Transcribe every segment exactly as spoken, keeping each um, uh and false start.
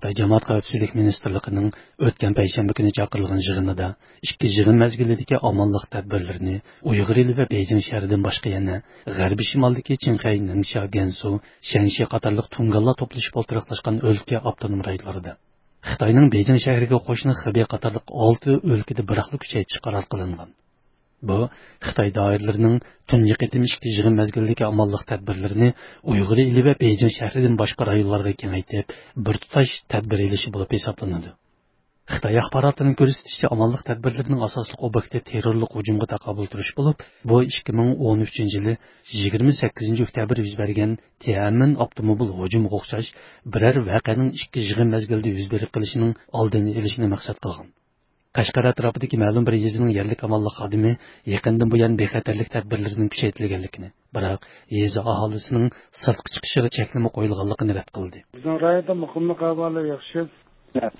خىتاي جامائەت خەۋپسىزلىك مىنىستىرلىقىنىڭ ئۆتكەن پەيشەنبە كۈنى چاقىرىلغان يىغىنىدا ئىككى يىغىن مەزگىلىدىكى ئامانلىق تەدبىرلىرىنى ئۇيغۇر ئېلى ۋە بېيجىڭ شەھىرىدىن باشقا يەنە غەربىي شىمالدىكى چىڭخەي، نىڭشيا، گەنسۇ، شەنشى قاتارلىق تۇڭگانلار توپلىشىپ ئولتۇراقلاشقان ئۆلكە، ئاپتونوم رايونلىرىدا، خىتاينىڭ بېيجىڭ شەھىرىگە قوشنا خېبېي قاتارلىق ئالتە ئۆلكىدە بىراقلا كۈچەيتىش قارار قىلىنغان. بۇ خىتاي دائىرىلىرىنىڭ تۇنجى قېتىم ئىككى يىغىن مەزگىلىدىكى ئامانلىق تەدبىرلىرىنى ئۇيغۇر ئېلى ۋە بېيجىڭ شەھىرىدىن باشقا رايونلارغا كېڭەيتىپ، بىر تۇتاش تەدبىر ئېلىشى بولۇپ ھېسابلىنىدۇ. خىتاي ئاخباراتىنىڭ كۆرسىتىشىچە، ئامانلىق تەدبىرلىرىنىڭ ئاساسلىق ئوبيېكتى تېررورلۇق ھۇجۇمىغا تاقابىل تۇرۇش بولۇپ، بۇ ئىككى مىڭ ئون ئۈچىنچى يىلى يىگىرمە سەككىزىنچى ئۆكتەبىر يۈز بەرگەن تيەنئەنمېن ئاپتوموبىل ھۇجۇمىغا ئوخشاش بىرەر ۋەقەنىڭ ئىككى يىغىن مەزگىلىدە يۈز بېرىپ قېلىشىنىڭ ئالدىنى ئېلىشنى مەقسەت قىلغان. قەشقەر ئەتراپىدىكى مەلۇم بىر يېزىنىڭ يەرلىك ئامانلىق خادىمى يېقىندىن بۇيان بىخەتەرلىك تەدبىرلىرىنىڭ كۈچەيتىلگەنلىكىنى، بىراق يېزا ئاھالىسىنىڭ سىرتقا چىقىشىغا چەكلىمە قويۇلغانلىقىنى رەت قىلدى. بىزنىڭ رايوندا مۇقىملىق ئەھۋالى ياخشى.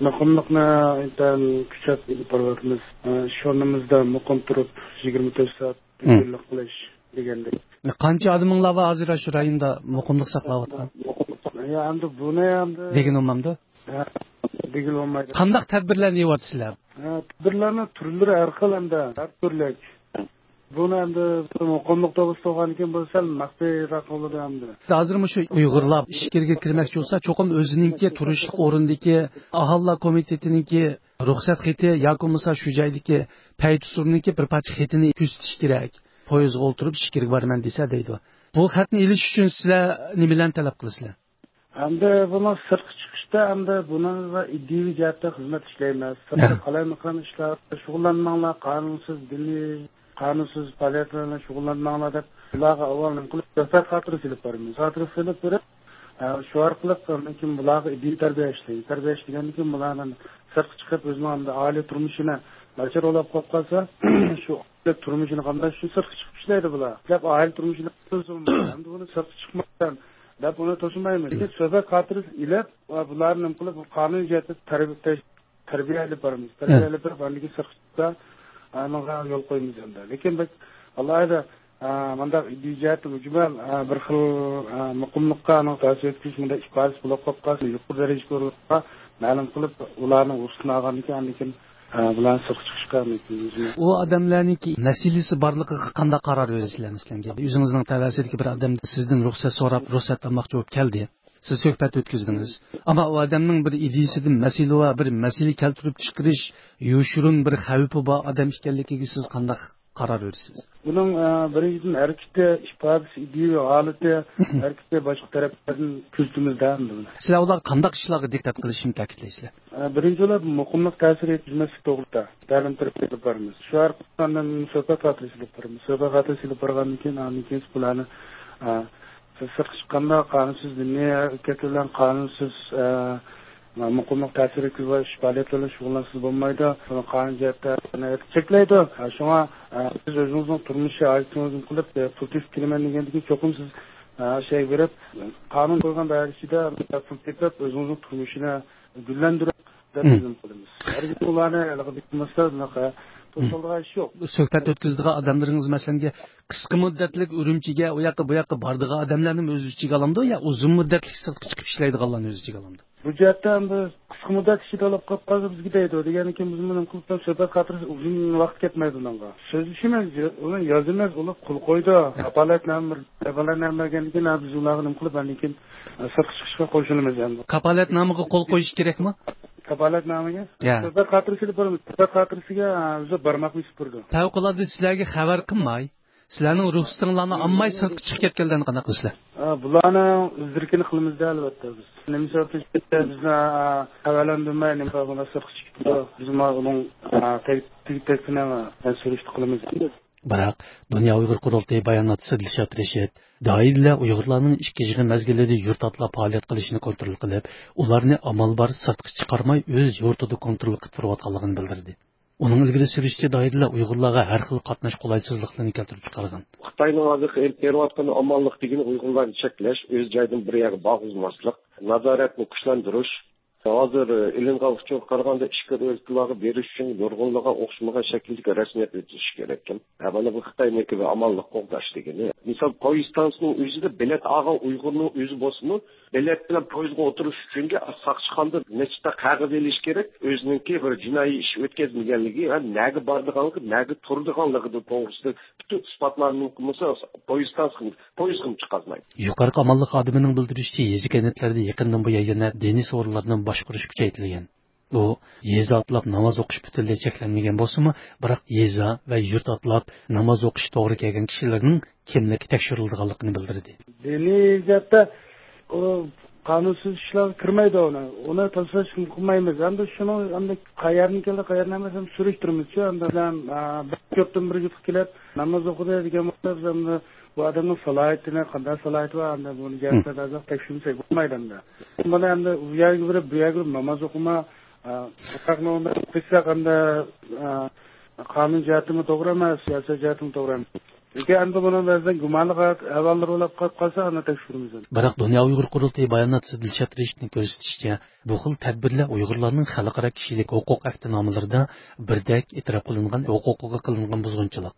مۇقىملىقنى ئىنتايىن كۈچەپ ئېلىپ بارىۋاتىمىز. ئىش ئورنىمىزدا مۇقىم تۇرۇپ، يىگىرمە تۆت سائەت ھىم. تىنچلىق قىلىش دېگەندەك. قانچە ئادىمىڭلار بار ھازىر شۇ رايوندا مۇقىملىق ساقلاۋاتقان؟ يا، ئەمدى بۇنى ئەمدى دېگىنى بولمامدۇ؟ ھە، دېگىلى بولمايدۇ. قانداق تەدبىرلەرنى ئېلىۋاتىسىلەر؟ ھە، تەدبىرلەرنىڭ تۈرلىرى ھەر خىل ئەمدى، ھەر تۈرلۈك. بۇنى ئەمدى مۇقىملىق توغرىسىدا بولغاندىكىن بۇ سەل مەخپىيراق بولىدۇ ئەمدى. ھازىر مۇشۇ ئۇيغۇرلار ئىچكىرىگە كىرمەكچى بولسا، چوقۇم ئۆزىنىڭكى تۇرۇشلۇق ئورنىدىكى ئاھالىلەر كومىتېتىنىڭكى رۇخسەت خېتى ياكى بولمىسا شۇ جايدىكى پەيتۇسۇرنىڭكى بىر پارچە خېتىنى كۆرسىتىش كېرەك. پويىزغا ئولتۇرۇپ ئىچكىرىگە بارىمەن دېسە دەيدۇ. بۇ خەتنى ئېلىش ئۈچۈن سىلەر نېمىلەرنى تەلەپ قىلىسىلەر؟ ئەمدى بۇنىڭ سىرتقا چىقىشتا ئەمدى بۇنىڭغا ئىدىيىۋى جەھەتتە خىزمەت ئىشلەيمىز. سىرتتا ھە. قالايمىقان ئىشلار شۇغۇللانماڭلار، قانۇنسىز دىنىي، قانۇنسىز پائالىيەتلەر بىلەن شۇغۇللانماڭلار دەپ، بۇلارغا ئاۋۋال نېمە قىلىپ، سۆھبەت خاتىرىسى ئېلىپ بارىمىز. خاتىرىسى ئېلىپ بېرىپ، ئە، شۇ ئارقىلىق ئاندىن كېيىن بۇلارغا ئىدىيە تەربىيە ئىشلەيمىز. تەربىيە ئىشلىگەندىن كېيىن بۇلارنى سىرتقا چىقىپ، ئۆزىنىڭ ئەمدى ئائىلە تۇرمۇشىنى ناچار ئويلاپ قويۇپ قالسا، شۇ تۇرمۇشىنى قامداش ئۈچۈن سىرتقا چىقىپ ئىشلەيدۇ بۇلار. دەپ ئائىلە تۇرمۇشىنى قىلسۇن. ئەمدى ئۇنى سىرتقا چىقمايسەن دەپ ئۇنى توسىمايمىز. لېكىن سۆھبەت خاتىرىسى ئېلىپ، ۋە بۇلارنى نېمە قىلىپ، بۇ قانۇن جەھەتتە تەربىيە، تەربىيە ئېلىپ بارىمىز. تەربىيە ئېلىپ بېرىپ، ئاندىن كېيىن سىرتقا چىقسا، ئانىڭغا يول قويىمىز ئەمدى. لېكىن بەك ئالاھىدە، ئا، مۇنداق ئىدىيە جەھەتتە مۈجمەل، ئا، بىر خىل، ئا، مۇقىملىققا ئانىڭ تەسىر يەتكۈزۈش مۇنداق ئىپادىسى بولۇپ قالىدىغان يۇقىرى دەرىجىگە ئۇرۇلۇپقا مەلۇم قىلىپ، ئۇلارنىڭ رۇخسىتىنى ئالغاندىن كېيىن، ئاندىن كېيىن، ئا، بۇلارنى سىرتقا چىقىشقا مۇمكىن. ئۇ ئادەملەرنىڭكى مەسىلىسى بارلىقىغا قانداق قارار بېرىسىلەر مەسىلەن؟ ئۆزىڭىزنىڭ تەۋەسىدىكى بىر ئادەم سىزدىن رۇخسەت سوراپ، رۇخسەت ئالماقچى بولۇپ كەلدى. سىز سۆھبەت ئۆتكۈزدىڭىز. ئەمما ئۇ ئادەمنىڭ بىر ئىدىيىسىدىن مەسىلە بار، بىر مەسىلە كەلتۈرۈپ چىقىرىش، يوشۇرۇن بىر خەۋپى بار ئادەم ئىكەنلىكىگە سىز قانداق قارار بېرىسىز؟ بۇنىڭ، ئە، بىرىنچىدىن، ھەرىكىتى، ئىپادىسى، ئىدىيە ھالىتى، ھەرىكىتى باشقا تەرەپلەردىن كۆزىتىمىزدە ئەمدى بۇنى. سىلەر ئۇلارغا قانداق ئىشلارغا دىققەت قىلىشنى تەكىتلەيسىلەر؟ ئە، بىرىنچى بولۇپ، مۇقىملىق تەسىر يەتكۈزمەسلىك توغرىسىدا تەلىم تەربىيە ئېلىپ بارىمىز. شۇ ئارقىلىق ئاندىن سۆھبەت خاتىرىسى ئېلىپ بارىمىز. سۆھبەت خاتىرىسى ئېلىپ بارغاندىن كېيىن، ئاندىن كېيىن بۇلارنى، ئە، سىرتقا چىققاندا قانۇنسىز دىنىي ھەرىكەت بىلەن قانۇنسىز، ئە، مۇقىملىق تەسىر يەتكۈزۈش پائالىيەتلىرى بىلەن شۇغۇللانسىڭىز بولمايدۇ. بۇنى قانۇن جەھەتتە چەكلەيدۇ. شۇڭا، ئە، سىز ئۆزىڭىزنىڭ تۇرمۇشى، ھاجىتىڭىزنى قىلىپ، ئە، پۇل تېپىپ كېلىمەن دېگەندىن كېيىن چوقۇم سىز، ئە، شەيگە بېرىپ، قانۇن قويغان دائىرە ئىچىدە پۇل تېپىپ، ئۆزىڭىزنىڭ تۇرمۇشىنى گۈللەندۈرۈپ دەپ مم. بىلىم قىلىمىز. ھەرگىز ئۇلارنى ھېلىقى بېكىنمەستە بۇناقا توسالغان ئىش يوق. سۆھبەت ئۆتكۈزىدىغان ئادەملىرىڭىز، مەسىلەن، قىسقا مۇددەتلىك ئۈرۈمچىگە، ئۇ ياققا، بۇ ياققا بارىدىغان ئادەملەرنىمۇ ئۆز ئىچىگە ئالامدۇ يا ئۇزۇن مۇددەتلىك سىرتقا چىقىپ ئىشلەيدىغانلارنى ئۆز ئىچىگە ئالامدۇ؟ بۇ جەھەتتە ئەمدى قىسقا مۇددەت ئىچىدە ئالاپ قاپ قالسا بىزگە دەيدۇ. دېگەندىن كېيىن بىزمۇ نېمە قىلىپ سۆھبەت خاتىرىسى ئۇزۇن ۋاقىت كەتمەيدۇ ئۇنىڭغا. سۆزلىشىمىز، ئۇنى يازىمىز، ئۇلار قول قويىدۇ. كاپالەتنامە، كاپالەتنامە بەرگەندىن كېيىن بىز ئۇلارغا نېمە قىلىپ ئاندىن كېيىن سىرتقا چىقىشقا قوشۇلىمىز ئەمدى. كاپالەتنامىغا قول قويۇش كېرەكمۇ؟ كاپالەتنامىگە؟ يا. سۆھبەت خاتىرىسى ئېلىپ بارىمىز. سۆھبەت خاتىرىسىگە، ئە، ئۆزى بارماقنى ئېلىپ بېرىدۇ. پەۋقۇلئاددە سىلەرگە خەۋەر قىلماي، سىلەرنىڭ رۇخسىتىڭلارنى ئالماي سىرتقا چىقىپ كەتكەنلەرنى قانداق قىلىسىلەر؟ ئە، بۇلارنىڭ ئىز-دېرىكىنى قىلىمىزدە، ئەلۋەتتە بىز. نېمە سەۋەبتىن چىقىپ كەتتى؟ بىزنى، ئە، خەۋەرلەندۈرمەي، نېمە سەۋەب بىلەن سىرتقا چىقىپ كېتىدۇ؟ بىز مانا ئۇنىڭ، ئە، تەگ-، تېگى تەگسىنى سۈرۈشتە قىلىمىز. بىراق، دۇنيا ئۇيغۇر قۇرۇلتىيى باياناتچىسى دىلشات رەشىت، دائىرىلەر ئۇيغۇرلارنىڭ ئىككى يىغىن مەزگىلىدە يۇرت ئاتلاپ پائالىيەت قىلىشىنى كونترول قىلىپ، ئۇلارنى ئامال بار سىرتقا چىقارماي، ئۆز يۇرتىدا كونترول قىلىپ تۇرۇۋاتقانلىقىنى بىلدۈردى. ئۇنىڭ ئىلگىرى سۈرۈشىچە، دائىرىلەر ئۇيغۇرلارغا ھەر خىل قاتناش قولايسىزلىقلىرىنى كەلتۈرۈپ چىقارغان. خىتاينىڭ ھازىرقى ئېلىپ بېرىۋاتقان ئامانلىق دېگىنى ئۇيغۇرلارنى چەكلەش، ئۆز جايىدىن بىر يەرگە بارغۇزماسلىق، نازارەتنى كۈچلەندۈرۈش، ھازىر ئېلىنغان ئۇچۇرغا قارىغاندا، ئىچكى ئۆلكىلەرگە بېرىش ئۈچۈن نۇرغۇنلىغان ئوخشىمىغان شەكىلدىكى رەسمىيەت ئۆتۈشى كېرەككەن. ھە، مانا بۇ خىتاينىڭكى بىر ئامانلىق قوغداش دېگىنى. مىسال، پويىز ئىستانسىسىنىڭ ئۆزىدە بېلەت ئالغان ئۇيغۇرنىڭ ئۆزى بولسىمۇ، بېلەت بىلەن پويىزغا ئولتۇرۇش ئۈچۈنكى ساقچىخانىدا نەچچە قەغەز ئېلىش كېرەك. ئۆزىنىڭكى بىر جىنايى ئىش ئۆتكەزمىگەنلىكى ھەم نەگە بارىدىغانلىقى، نەگە تۇرىدىغانلىقى توغرىسىدا پۈتۈن ئىسپاتلارنى قىلمىسا، پويىز ئىستانسىسىغا، پويىزغىمۇ چىقارمايدۇ. يۇقىرىقى ئامانلىق خادىمىنىڭ بىلدۈرۈشىچە، يېزا كەنتلەردە يېقىندىن بۇيان يەنە دىنىي سورۇنلارنى باشقۇرۇش كۈچەيتىلگەن. ئۇ يېزا ئاتلاپ ناماز ئوقۇش پۈتۈنلەي چەكلەنمىگەن بولسىمۇ، بىراق يېزا ۋە يۇرت ئاتلاپ ناماز ئوقۇش توغرا كەلگەن كىشىلەرنىڭ كىملىكى تەكشۈرۈلىدىغانلىقىنى بىلدۈردى. دىنىي جەھەتتە ئۇ قانۇنسىز ئىشلارغا كىرمەيدۇ ئۇنى. ئۇنى تەپسىلىي قىلمايمىز. ئەمدى شۇنىڭ ئەمدى قەيەردىن كەلدى، قەيەردىن ئەمەس، ئەمدى سۈرۈشتۈرىمىزچۇ. ئەمدى بىلەن، ئا، بىر يۇرتتىن بىر يۇرتقا كېلىپ ناماز ئوقۇدى دېگەن بولسا، بىز ئەمدى بۇ ئادەمنىڭ سالاھىيىتىنى، قانداق سالاھىيىتى بار، ئەمدى بۇنى جەھەتتە ھازىر تەكشۈرمىسەك بولمايدۇ ئەمدى. بۇنى ئەمدى ئۇ يەرگە بېرىپ، بۇ يەرگە بېرىپ ناماز ئوقۇما، ئا، بۇنداق نومۇر قىلساق ئەمدى، ئا، قانۇن جەھەتتىمۇ توغرا ئەمەس، سىياسەت جەھەتتىمۇ توغرا ئەمەس. لېكىن ئەمدى بۇنىڭ بەزىدە گۇمانلىق ئەھۋاللىرى بولۇپ قالىپ قالسا، ئاندىن تەكشۈرىمىز. بىراق، دۇنيا ئۇيغۇر قۇرۇلتىيى باياناتچىسى دىلشات رېشىتنىڭ كۆرسىتىشىچە، بۇ خىل تەدبىرلەر ئۇيغۇرلارنىڭ خەلقئارا كىشىلىك ھوقۇق ئەھدىنامىلىرىدا بىردەك ئېتىراپ قىلىنغان ھوقۇقىغا قىلىنغان بۇزغۇنچىلىق.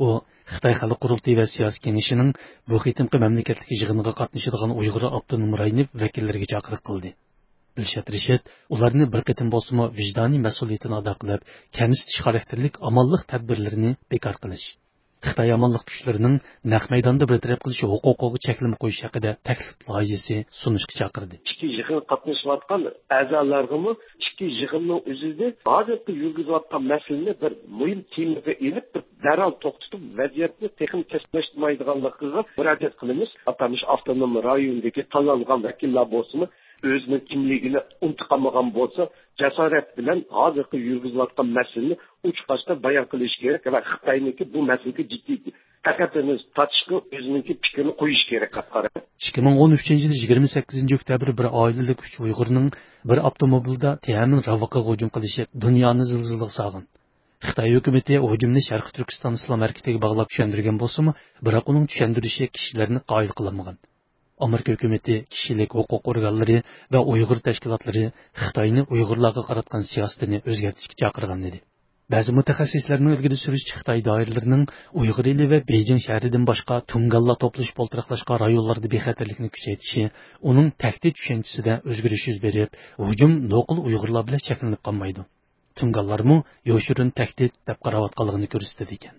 ئۇ خىتاي خەلق قۇرۇلتىيى ۋە سىياسىي كېڭىشىنىڭ بۇ قېتىمقى مەملىكەتلىك يىغىنىغا قاتنىشىدىغان ئۇيغۇر ئاپتونوم رايونى ۋەكىللىرىگە چاقىرىق قىلدى. دىلشات رېشىت ئۇلارنى بىر قېتىم بولسىمۇ ۋىجدانىي مەسئۇلىيىتىنى ئادا قىلىپ، كەمسىتىش خاراكتېرلىك ئامانلىق تەدبىرلىرىنى بىكار قىلىش، خىتاي ئامانلىق كۈچلىرىنىڭ نەق مەيداندا بىر تەرەپ قىلىش ھوقۇقىغا چەكلىمە قويۇش ھەققىدە تەكلىپ لايىھەسى سۇنۇشقا چاقىردى. ئىككى يىغىنغا قاتنىشىۋاتقان ئەزالارغىمۇ ئىككى يىغىننىڭ ئۆزىدە ھازىرقى يۈرگۈزۈۋاتقان مەسىلىنى بىر مۇھىم تېمىغا ئېلىپ، بىر دەرھال توختىتىپ، ۋەزىيەتنى تېخىمۇ كەسكىنلەشتۈرمەيدىغانلىقىغا مۇراجىئەت قىلىمىز. ئاتالمىش ئاپتونوم رايوندىكى تاللانغان ۋەكىللەر بولسىمۇ، ئۆزىنىڭ كىملىكىنى ئۇنتۇپ قالمىغان بولسا، جاسارەت بىلەن ھازىرقى يۈرگۈزۈلۈۋاتقان مەسىلىنى ئوچۇق-ئاشكارا بايان قىلىشى كېرەك ۋە خىتاينىڭكى بۇ مەسىلىگە جىددىي دىققەتنى تارتىشقا، ئۆزىنىڭكى پىكرىنى قويۇشى كېرەك دەپ قارايمەن. ئىككى مىڭ ئون ئۈچىنچى يىلى يىگىرمە سەككىزىنچى ئۆكتەبىر بىر ئائىلىلىك ئۈچ ئۇيغۇرنىڭ بىر ئاپتوموبىلدا تيەنئەنمېن راۋىقىغا ھۇجۇم قىلىشى دۇنيانى زىلزىلىگە سالغان. خىتاي ھۆكۈمىتى ھۇجۇمنى شەرقىي تۈركىستان ئىسلام ھەرىكىتىگە باغلاپ چۈشەندۈرگەن بولسىمۇ، بىراق ئۇنىڭ چۈشەندۈرۈشى كىشىلەرنى قايىل قىلالمىغان. ئامېرىكا ھۆكۈمىتى، كىشىلىك ھوقۇق ئورگانلىرى ۋە ئۇيغۇر تەشكىلاتلىرى خىتاينى ئۇيغۇرلارغا قاراتقان سىياسىتىنى ئۆزگەرتىشكە چاقىرغان ئىدى. بەزى مۇتەخەسسىسلەرنىڭ ئىلگىرى سۈرۈشىچە، خىتاي دائىرىلىرىنىڭ ئۇيغۇر ئېلى ۋە بېيجىڭ شەھىرىدىن باشقا تۇڭگانلار توپلىشىپ ئولتۇراقلاشقان رايونلاردا بىخەتەرلىكنى كۈچەيتىشى ئۇنىڭ تەھدىت چۈشەنچىسىدە ئۆزگىرىش يۈز بېرىپ، ھۇجۇم نوقۇل ئۇيغۇرلار بىلەن چەكلىنىپ قالمايدۇ. تۇڭگانلارمۇ يوشۇرۇن تەھدىت دەپ قاراۋاتقانلىقىنى كۆرسىتىدىكەن.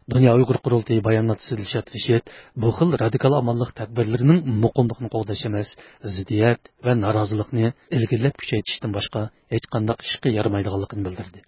دۇنيا ئۇيغۇر قۇرۇلتىيى باياناتچىسى دىلشات رىشىت بۇ خىل رادىكال ئامانلىق تەدبىرلىرىنىڭ مۇقىملىقنى قوغداش ئەمەس، زىددىيەت ۋە نارازىلىقنى ئىلگىرىلەپ كۈچەيتىشتىن باشقا ھېچقانداق ئىشقا يارىمايدىغانلىقىنى بىلدۈردى.